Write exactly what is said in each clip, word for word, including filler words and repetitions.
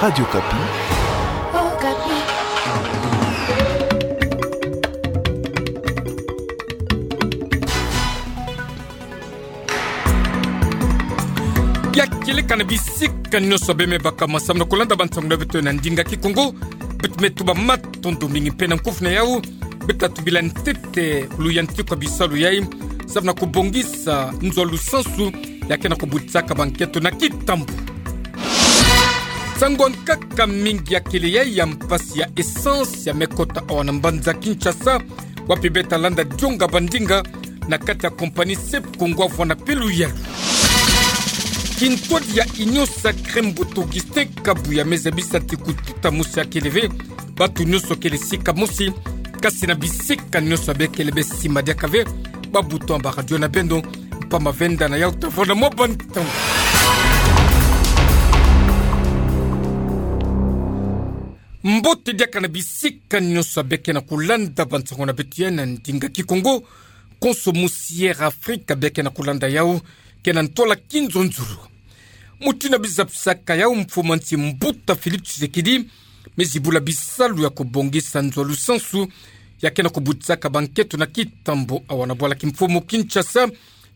Radio Okapi. Okapi. Ya kieleka na bisika nyonso bê me baka ma samu na kulanda bansango na beto na ndinga Kikongo. Beto me tuba matondo mingi mpe na nkufi na yau. Beto tubila ntete luyantiku ya bisalu yai samu na kubongisa nzo lusansu ya ke na kubutisaka bankento na kitambo. Nsangu ya nkaka mingi ya kele yai ya mpasi ya essence ya me kota awa na mbanza Kinshasa, wapi beto landa dionga bandinga na kati ya compagnie Sepcongo avwanda mpe luyalu. Kintwadi ya Union Sacrée, mbuta Augustin Kabuya me zabisa ti kututa mosi akele ve, bato nyonso kele sika mosi, kasi na bisika nyonso bê kele bê sima diaka ve, babuta ba radio na beno, mpamba ve nda na yau tavwanda mwa bantangu. Mbote diaka na bisika nyonso bê ke na kulanda bansango na beto ya na ndinga Kikongo, konso mosi Air Afrique bê ke na kulanda yau, ke na ntwala kinzonzolo. Mutindu bizapisaka yau, mfumu ya nsi mbuta Félix Tshisekedi me zibula bisalu ya kubongisa nzo lusansu ya ke na kubutisaka bankento na kitambo awa na bwala kimfumu Kinshasa.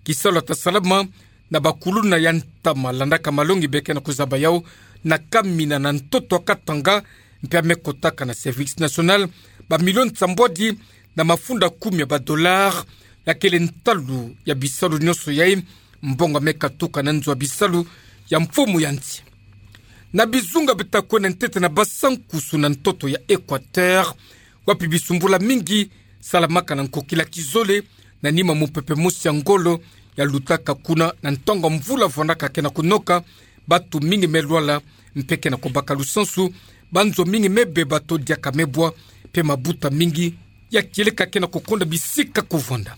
Kisalu ya ta salama na bakuluna ya ntama landaka malongi bê ke na kuzaba yau na kamina na ntoto ya Katanga, mpe ya me kotaka na Service National bamilioni sambwadi na mafunda kumi ya badollars, ya kele ntalu ya bisalu nyonso yai, mbongo ya me katuka na nzo ya bisalu ya mfumu ya nsi. Na bizunga beto ta kwenda ntete na Bas-Sankoussou na ntoto ya Équateur, wapi bisumbula mingi salamaka na nkokila kizole, na nima mupepe mosi ya ngolo ya lutaka kuna na ntangu ya mvula vwandaka ke na kunoka, bato mingi me lwala mpe ke na kubaka lusansu, banzo mingi me beba to diaka me bwa, mpe mabuta mingi ya kieleka ke na kukonda bisika kuvwanda.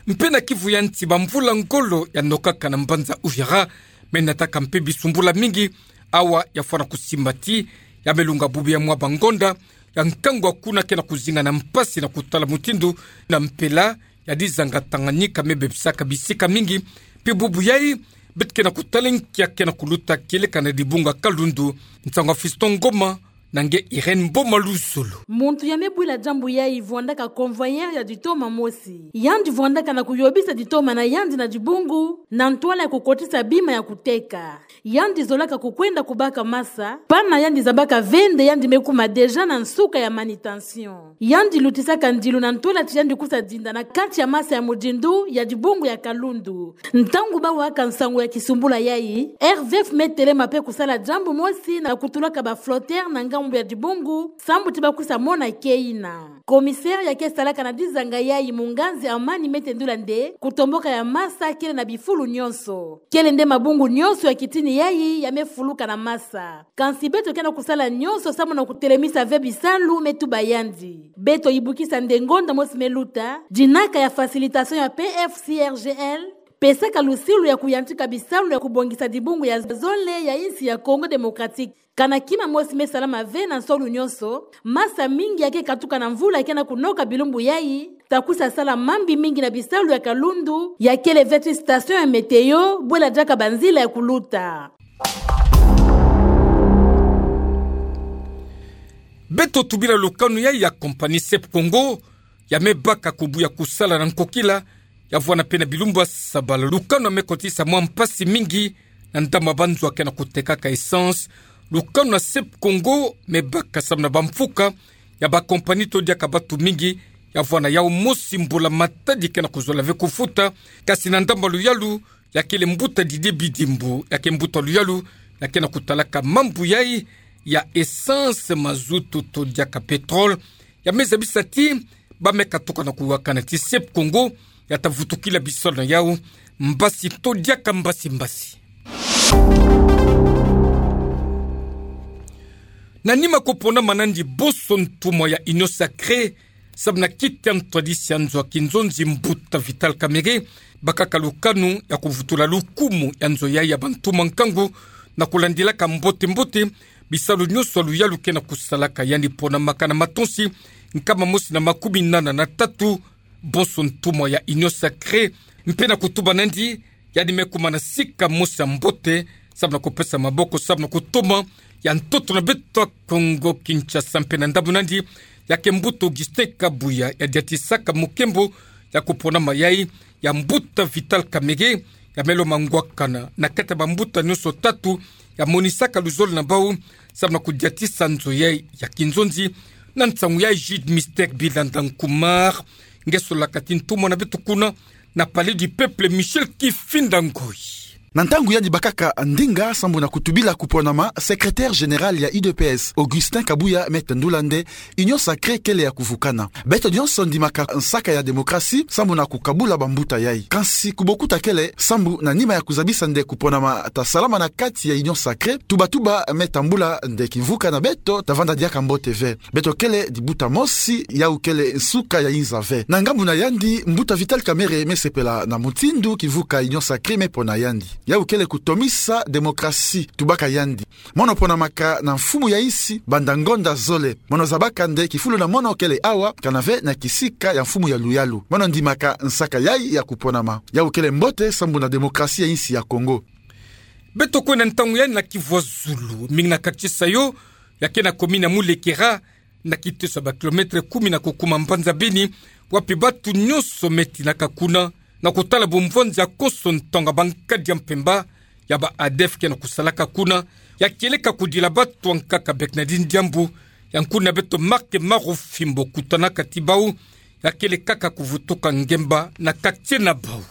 Mpe na Kivu ya nsi, bamvula ngolo ya nokaka na mbanza Uvira me nataka mpe bisumbula mingi. Awa ya fwana kusimba ti ya me lunga bubu ya mwa bangonda ya nkangu ya kuna ke na kuzinga na mpasi na kutala mutindu na mpela ya dizanga Tanganyika me bebisaka bisika mingi. Mpe bubu yai, beto ke na kutala nki ya ke na kuluta kieleka na dibunga Kalundu. Nsangu ya Fiston Ngoma na nge Irène Mboma Luzolo. Muntu ya me bwila diambu yai vwandaka convoyeur ya ditoma mosi. Yandi vwandaka na kuyobisa ditoma na yandi na dibungu, na ntwala ya kukotisa bima ya kuteka. Yandi zolaka kukwenda kubaka masa, pana yandi zabaka ve nde yandi me kuma déjà na nsuka ya manutention. Yandi lutisaka ndilu na ntwala ti yandi kusa dinda na kati ya masa ya mudindu ya dibungu ya Kalundu. Ntangu ba waka nsangu ya kisumbula yai, R V F me telema mpe kusala diambu mosi na kutulaka ba flotteurs na ngambu ya dibungu, sambu ti ba kusa mona keyina. Commissaire ya ke salaka na dizanga yai, Munganzi Amani, me tendula nde kutomboka ya masa kele na bifulu nyonso. Kele nde mabungu nyonso ya kitini yai ya me fuluka na masa. Kansi beto ke na kusala nyonso samu na kutelemisa ve bisalu, me tuba yandi. Beto yibukisa nde ngonda mosi me luta, dinaka ya facilitation ya P F C R G L pesaka lusilu ya kuyantika bisalu ya kubongisa dibungu ya zole ya insi ya Congo Démocratique. Kana kima mosi me salama ve na nsolu nyonso, masa mingi ya ke katuka na mvula ke na kunoka bilumbu yai, ta kusa sala mambi mingi na bisalu ya Kalundu, ya kele ve ti station ya météo, bwela diaka banzila ya kuluta. Beto tubila lukanu yai ya compagnie Sepcongo, ya me baka kubuya kusala na nkokila, ya vwanda mpe na bilumbu ya sabala. Lukanu ya me kotisa mwa mpasi mingi na ndambu ya banzo ya ke na kutekaka essence. Lukanu ya Sepcongo me baka samu na bamfuka ya ba compagnie to diaka bato mingi, ya vwanda yau mosi mbula matadi ke na kuzola ve kufuta, kasi na ndambu ya luyalu, ya kele mbuta Didier Bidimbu, ya ke mbuta luyalu ya ke na kutalaka mambu yai ya essence, mazutu to diaka pétrole, ya me zabisa ti ba me katuka na kuwakana ti Sepcongo ya ta vutukila bisalu na yau mbasi to diaka mbasi mbasi. Na nima kupona manandi bonso ntumwa ya Union Sacrée, samu na kiti ya ntwadisi ya nzo ya kinzonzi, mbuta Vital Kamerhe, bakaka lukanu ya kuvutula lukumu ya nzo yai ya bantumwa nkangu, na kulandilaka mbote-mbote bisalu nyonso ya luyalu ke na kusalaka. Yandi ponamaka na matonsi nkama mosi na makumi nana na tatu, bonso ntumwa ya Union Sacrée, mpe na kutuba nandi, yandi me kuma na sika mosi ya mbote samu na kupesa maboko, samu na kutoma ya ntoto na beto ya Kongo Kinshasa. Mpe na ndambu nandi, ya ke mbuta Augustin Kabuya yadiatisaka mokembo ya kuponama yai ya mbuta Vital Kamerhe, ya me lomba ngwakana na kati ya bambuta nyonso tatu ya monisaka luzolo na bau, samu na kudiatisa nzo yai ya kinzonzi. Na nsangu yai, Jude Mister Bilanda Nkumar, nge solaka ti ntumwa na beto kuna na Palais du Peuple, Michel Kifinda Ngoi. Na ntangu yandi bakaka ndinga sambu na kutubila kuponama, secrétaire général ya U D P S, Augustin Kabuya, me tendula nde Union sacrée kele ya kuvukana. Beto nyonso ndimaka nsaka ya démocratie sambu na kukabula bambuta yai. Kansi kubokuta kele, sambu na nima ya kuzabisa nde kuponama tasalama na kati ya Union sacrée, tuba-tuba me tambula nde kimvuka na beto tavanda diaka mbote ve. Beto kele dibuta mosi, yau kele nsuka ya inza ve. Na ngambu na yandi, mbuta Vital Kamerhe me sepela na mutindu kimvuka Union sacrée me pona yandi. Yau kele kutomisa démocratie, tubaka yandi. Mono ponamaka na mfumu ya insi banda ngonda zole. Mono zabaka nde kifulu na mono kele awa, kana ve na kisika ya mfumu ya luyalu. Mono ndimaka nsaka yai ya kuponama. Yau kele mbote sambu na démocratie ya insi ya Kongo. Beto kwenda ntangu yai na Kivu ya Zulu, mingi na quartier Sayo, ya ke na commune ya Mulekera, na kiteso ya ba kilomètre kumi na kukuma mbanza Beni, wapi batu nyonso me tinaka kuna na kutala bumvonzi ya konso ntonga bankadi ya mpemba ya ba ADF ke na kusalaka kuna, ya kieleka kudila batu ankaka. Bernardine Diambu, ya nkuna beto Marc Marufimbo kutanaka ti bau, ya kele kaka kuvutuka ngemba na quartier na bau.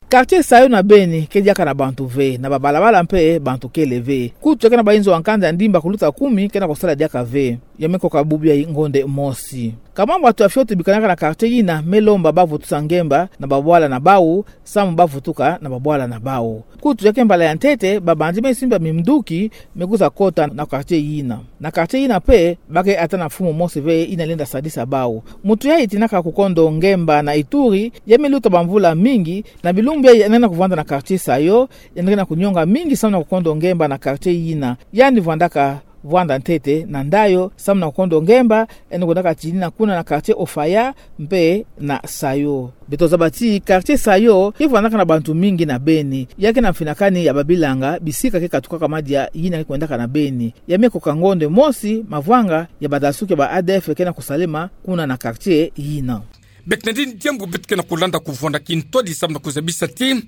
Quartier Sayo na Beni ke diaka na bantu ve, na babalabala mpe bantu kele ve. Kutu ya ke na bayinzo ya nkanda ya ndimba kuluta kumi ke na kusala diaka ve. Ya me koka bubu yai ngonde mosi. Ka mambu atu ya fioti bikanaka na quartier yina me lomba bavutusa ngemba na babwala na bau, samu bavutuka na babwala na bau. Kutu ya ke mbala ya ntete, babandi me simba minduki me kwiza kota na quartier yina. Na quartier yina mpe, ba ke ata na mfumu mosi ve yina lenda sadisa bau. Muntu yai tinaka kukondo ngemba na Ituri, ya me luta bamvula mingi, na bilumbu yai yandi ke na kuvanda na quartier Sayo, yandi ke na kunionga mingi samu na kukondo ngemba na quartier yina. Yandi vwandaka vwanda ntete na ndayo samu na kukondo ngemba, yandi kwendaka tinina kuna na quartier Ofaya mpe na Sayo. Beto zaba ti quartier Sayo ke vwandaka na bantu mingi na Beni. Ya ke na mfinakani ya babilanga, bisika ke katukaka madia yina ke kwendaka na Beni. Ya me koka ngonde mosi mavanga ya badasuki ya ba ADF ke na kusalema kuna na quartier yina. Bernardine Diambu, beto ke na kulanda kuvwanda kintwadi samu na kuzabisa ti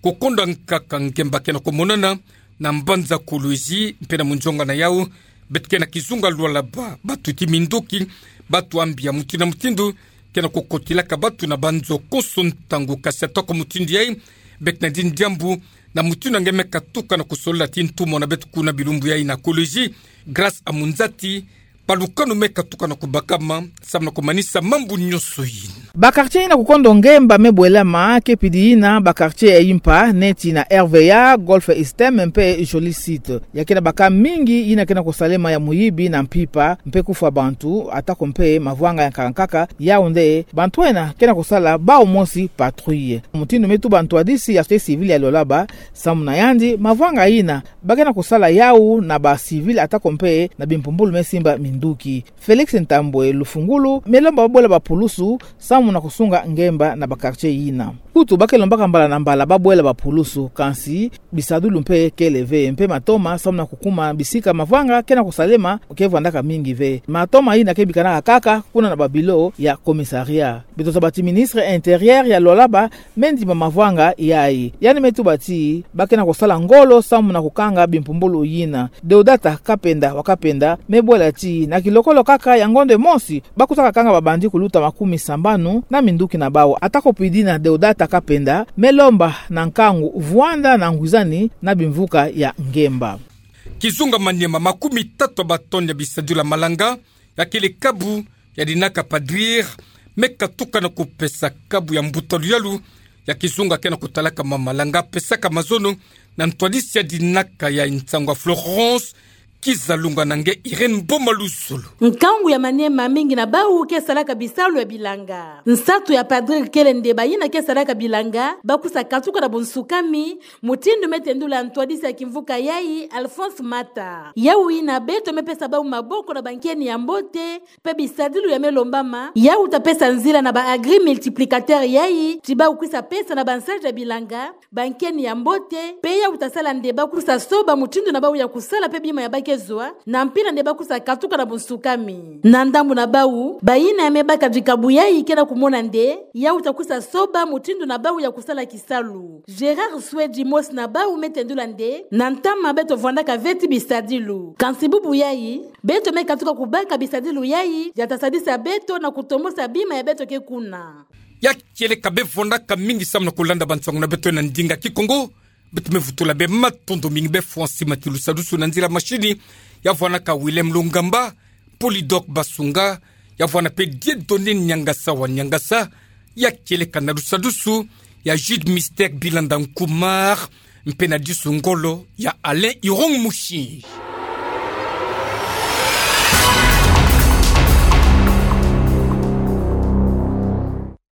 kukonda nkaka ngemba ke na kumonana na mbanza Kolwezi mpe na munzonga na yau. Beto ke na kizunga Lualaba, batuti minduki, batu ya mbi ya mutindu na mutindu ke na kukotilaka batu na banzo konso ntangu. Kasi atako mutindu yai, Bernardine Diambu, na mutindu nge me katuka na kusolola ti ntumwa na beto kuna bilumbu yai na Kolwezi, Grâce Amunzati, balukanu me katuka na kubakama samu na kumanisa mambu nyonso yina. Ba quartier yina kukondo ngemba me bwelama ke pidi yina ba quartier ya impa neti na R V A, Golf Estem mpe Jolie Cite. Ya ke na ba cas mingi yina ke na kusalema ya muyibi na mpimpa mpe kufwa bantu, atako mpe mavwanga ya nkaka nkaka, yau nde bantu ena ke na kusala bau mosi patrouille. Mutindu me tuba ntwadisi ya société civile ya Lualaba, samu na yandi mavwanga yina ba ke na kusala yau na ba civil atako mpe na bimpumbulu me simba minduki. Félix Ntambwe Lufungulu me lomba babwela bapulusu samu na kusunga ngemba na ba quartier yina. Kutu ba ke lombaka mbala na mbala babwela bapulusu, kansi bisadulu mpe kele ve, mpe matoma samu na kukuma bisika mavwanga ke na kusalema ke vwandaka mingi ve. Matoma yina ke bikanaka kaka kuna na ba bureau ya commissariat. Beto zaba ti ministre intérieur ya Lualaba me ndima mavwanga yai. Yandi me tuba ti ba ke na kusala ngolo samu na kukanga bimpumbulu yina. Deodata Kapenda wa Kapenda me bwela ti na kilokolo kaka ya ngonde mosi, ba kwiza kakanga babandi kuluta makumi sambanu na minduki na bau. Atako pidi yina, Deodata Kapenda me lomba na nkangu vwanda na ngwizani na bimvuka ya ngemba. Kizunga Maniema, makumi tatu ya ba tonnes ya bisadulu ya malanga, ya kele kabu ya dinaka Padrir, me katuka na kupesa kabu ya mbuta luyalu ya kizunga ke na kutalaka ma malanga, pesaka mazono na ntwadisi ya dinaka ya nsangu ya Florence Kizalunga na nge Irène Boma Luzolo. Nkangu ya maniema mingi na bawu ke salaka bisalu ya bilanga. Nsatu ya Padre kele nde bayina ke salaka bilanga bakwiza katuka na bunsukami, mutindu me tendula ntwadisi ya kimvuka yayi Alphonse Mata. Yawu yina beto me pesa bawu maboko na bankeni ya mbote, pe bisadilu ya me lombama, yawu ta pesa nzila na ba agri multiplicateur yayi, ti bawu kwiza pesa na bansaji ya bilanga, bankeni ya mbote, pe yawu ta sala nde bakwiza soba mutindu na bawu ya kusala pe bima ya ba ke zwa, na mpila nde bakwiza katuka na bunsukami. Na ndambu na bawu, bayina ya me baka dikabu yayi ke na kumona nde, yawu ta kwiza soba mutindu na bawu ya kusala kisalu. Gérard Swedi mosi na bawu me tendula nde, na ntama beto vwandaka veti bisadilu. Kansi bubu yayi, beto me katuka kubaka bisadilu yayi, ya ta sadisa beto na kutombosa bima ya beto ke kuna. Ya kieleka be vwandaka mingi samu na kulanda bansangu na beto na ndinga Kikongo, beto me vutula be matondo mingi be fwa nsi mati lusadusu na nzila mashini, ya vwanaka Willem Lungamba, Polydor Basunga, ya vwana pe Dieudonné Niangasa wa Niangasa, ya kieleka na lusadusu ya Jude Mister Bilanda Nkumar, mpe na disu ngolo ya Alain Irong Mushi.